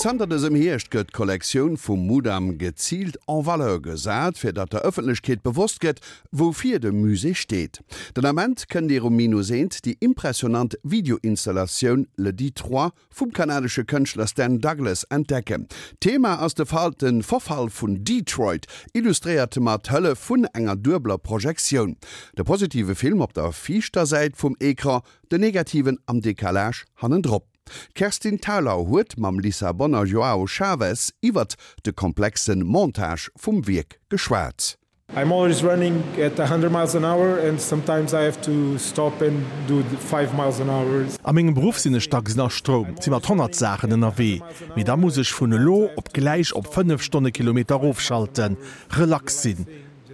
Zanter dësem Hierscht gëtt d'Kollektioun vum Mudam geziilt en valeur gesat, fir datt der Ëffentlechkeet bewosst gëtt, woufir de Musée steet. Den Ament kënnt Dir um Minus Eent déi impressionant Videoinstallatioun Le Detroit vum kanadesche Kënschtler Stan Douglas entdecken. D'Thema ass de de Verfall vun Detroit, illustréiert mat Hëllef vun enger duebeler Projektioun. De positive Film op der viischter Säit vum Ecran, den negativen am Decalage hannendrop. D'Kerstin Thalau huet mam Lissabonner Joao Chaves iwwert de komplexe Montage vum Wierk geschwat. I'm always running at 100 miles an hour and sometimes I have to stop and do 5 miles an hour. A mengem Beruff sinn ech dacks ënner Stroum, si mat 100 Saachen ënnerwee, mee da muss ech vun elo op gläich op 5 Stonnekilometer erofschalten, relax sinn,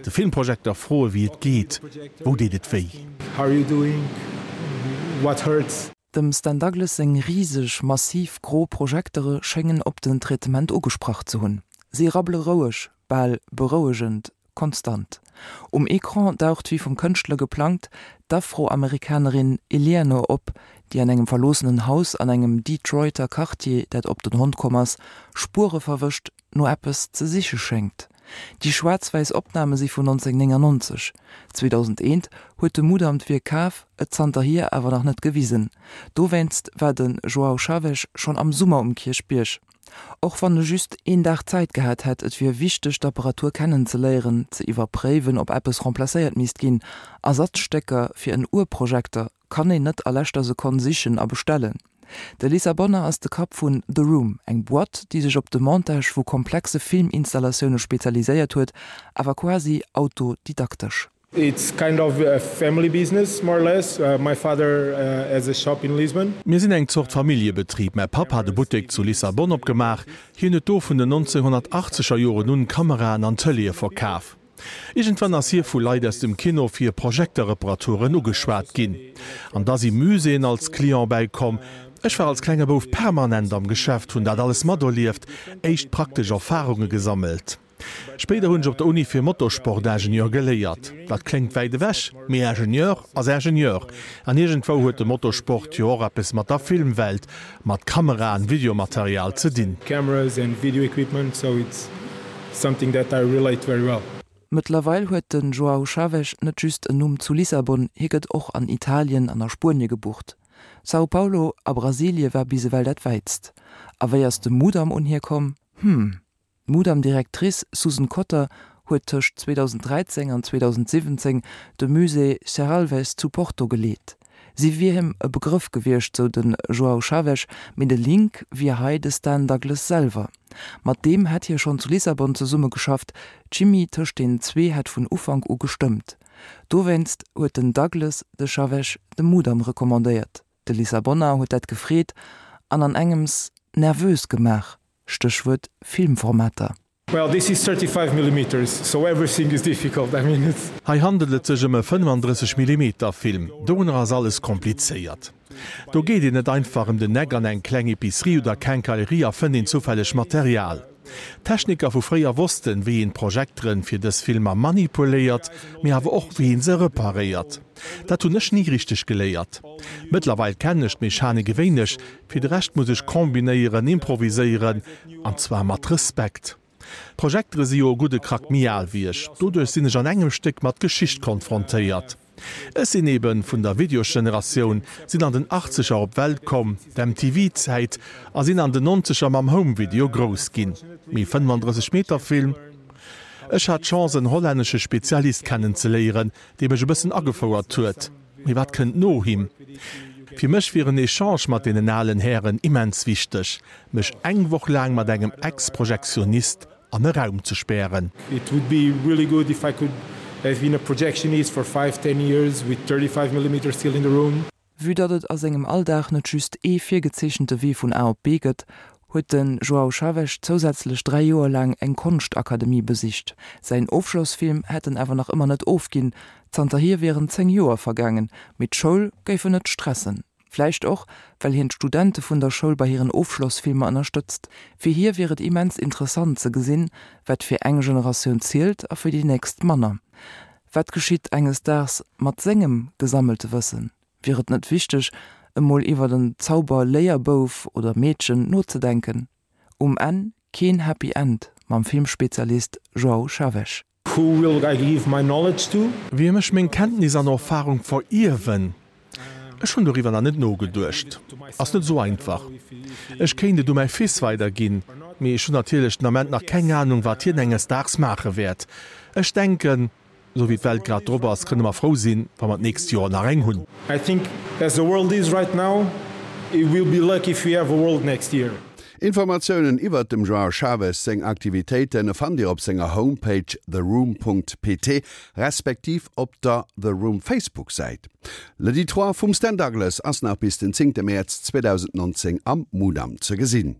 de Filmprojekter froe wéi et geet, wou deet et wéi. How are you doing? What hurts? Dem Stan Douglas seng riseg, massiv gro Projektere schéngen op den Traitement ugesprach ze hunn. Si rabbele roueg, bal berouegend konstant. Um Ecran daucht wéi vum Kënschtler geplangt d'Afroamerikanerin Eleanor op, déi an engem verloossenen Haus an engem Detroiter Quartier, dat op den Hond komm ass, Spuere verwëscht, no eppes ze siche schéngt. Déi schwaarz-wäiss Opname si vun 1999. 2001 huet de Mudam d'Wierk kaf, et zanterhier awer nach net gewisen. Dowéinst war de João Chaves schonn am Summer um Kierchbierg. Och wann e just een Dag Zäit gehat hätt, et wier wichteg d'Apparatur kennen ze léieren, ze iwwerpréiwen, ob eppes remplacéiert misst ginn. Ersatzstécker fir en Urprojekter kann een net a leschter Sekonn sichen a bestellen. De Lissabonner ass de Kapp vun The Room, eng Boîte, déi sech op de Montage vu komplexe Filminstallatioune spezialiséiert huet, awer quasi autodidaktesch. It's kind of a family business, more or less. My father has a shop in Lisbon. Mir sinn eng Zort Familljebetrib. Mäi Papp hat e Buttek zu Lissabon opgemaach. Hien huet do vun den 1980er Joren un Kameraen an Tëleeë verkaf. Iergendwann ass hie vu Leit aus dem Kino fir Projekterreparaturen ugeschwat ginn. An da si Muséeën als Client bäikomm. Ech war als klenge Bouf permanent am Geschäft, hunn dat alles materlieft, éischt praktesch Erfarunge gesammelt. Spéider hunn ech op der Uni fir Motorsportingenieur geléiert. Dat kléngt wäit ewech, mee Ingenieur ass Ingenieur. An iergendwou huet de Motorsport jo och eppes mat der Filmwelt, mat Kameraen, Videomaterial ze dinn. Cameras and video equipment, so it's something that I relate very well. Mëttlerweil huet de Joao Chaves net just en Numm zu Lissabon, hie gëtt och an Italien an a Spuenie gebucht. São Paulo a Brasilie war bis ewell dat wäitst. A wéi ass de Mudam un hie komm? Hm. D'Mudam-Directrice Susan Cotter huet tëscht 2013 an 2017 de Musée Serralves zu Porto geleet. Si wier him e Begrëff gewiescht, sou de João Chaves, mee de Link wier hei de Stan Douglas selwer. Mat deem hätt hie schonn zu Lissabon zesummegeschafft, d'Chimie tëscht den zwee hätt vun Ufank u gestëmmt. Dowéinst huet den Douglas de Chaves dem Mudam recommandéiert. De Lissabonner huet dat gefreet an an engems nervös gemaach, Stéchwuert Filmformater. Well this is 35 millimeters, so everything is difficult, I mean it's. Hei handelt et sech ëm e 35 Millimeter Film, dorunner ass alles komplizéiert. Do geet een net einfach ëm den Eck an eng kleng Epicerie oder Quincaillerie a fënnt een zoufälleg Material. D'Techniker vu fréier wossten, wéi een d'Projekteren fir dës Filmer manipuléiert, mee awer och wéi een se reparéiert. Dat hunn ech ni richteg geléiert. Mëttlerweil kennen ech d'Mechanik e wéineg, Fir de Rescht muss ech kombinéieren, improviséieren, an zwar mat Respekt. D'Projektere si jo e gudde Krack méi al wéi ech, doduerch sinn ech an engem Stéck mat Geschicht konfrontéiert. Ech sinn eben vun der Videosgeneratioun, sinn an den Achtzeger op d'Welt komm, d'MTV-Zäit, a sinn an den Nonzeger mam Home-Video grouss ginn. Mee 35 Meter Film? Ech hat d'Chance en hollännesche Spezialist kennenzeléieren, dee mech e bëssen agefouert huet. Mee wat kënnt no him? Fir mech wier en Echange mat deenen alen Hären immens wichteg, mech eng Woch laang mat engem Ex-Projektionist an e Raum ze spären. It would be really good if I could have been a projectionist for five, ten years with 35 millimeter still in the room. Vue datt et a sengem Alldag net just ee virgezeechente Wee vun A op B gëtt, huet de João Chaves zousätzlech 3 Joer laang eng Konschtakademie besicht. Säin Ofschlossfilm hätt en awer nach ëmmer net ofginn. Zanterhier wieren 10 Joer vergaangen, mee d'Schoul géif en net stressen. Vläicht och, well hien d'Studente vun der Schoul bei hiren Ofschlossfilmer ënnerstëtzt. Fir hie wier et immens interessant ze gesinn, wat fir eng Generatioun zielt a fir déi nächst manner. Wat geschitt enges Daags mat sengem gesammelte Wëssen? Wier et net wichteg, emol iwwer en Zauber-Léierbouf oder Meedchen nozedenken? Um Enn keen Happy End mam Filmspezialist João Chaves. Who will I give my knowledge to? Wiem ech meng Kenntnis an Erfahrung verierwen? Ech hunn doriwwer nach net nogeduecht. Ass net esou einfach. Ech kéint et u mäi Fils weiderginn, mee ech hunn natierlech den Ament nach keng Anung, wat hien enges Daags maache wäert. Ech denken, esou wéi d'Welt grad drop ass, kënne mer frou sinn, wa mer d'nächst Joer nach eng hunn. I think as the world is right now, we will be lucky if we have a world next year. Informatiounen iwwert dem João Chaves seng Aktivitéiten fannt Dir op senger Homepage theroom.pt respektiv op der The Room Facebook Säit. Le Detroit vum Stan Douglas ass nach bis den 10 Mäerz 2019 am Mudam ze gesinn.